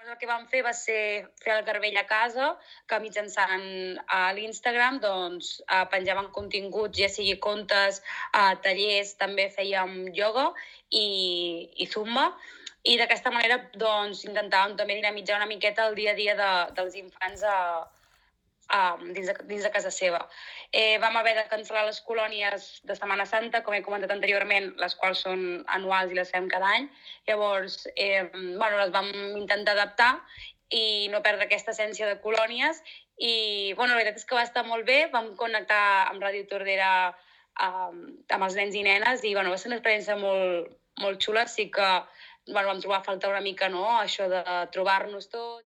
El que vam fer va ser fer el garbell a casa, que mitjançant l'Instagram doncs, penjaven continguts, ja sigui contes, tallers, també fèiem ioga i zumba, i d'aquesta manera doncs, intentàvem també dinamitzar una miqueta el dia a dia dels infants dins de casa seva. Vam haver de cancel·lar les colònies de Setmana Santa, com he comentat anteriorment, les quals són anuals i les fem cada any. Llavors, les vam intentar adaptar i no perdre aquesta essència de colònies. I la veritat és que va estar molt bé. Vam connectar amb Ràdio Tordera amb els nens i nenes i va ser una experiència molt, molt xula. Sí que vam trobar a faltar una mica això de trobar-nos tots.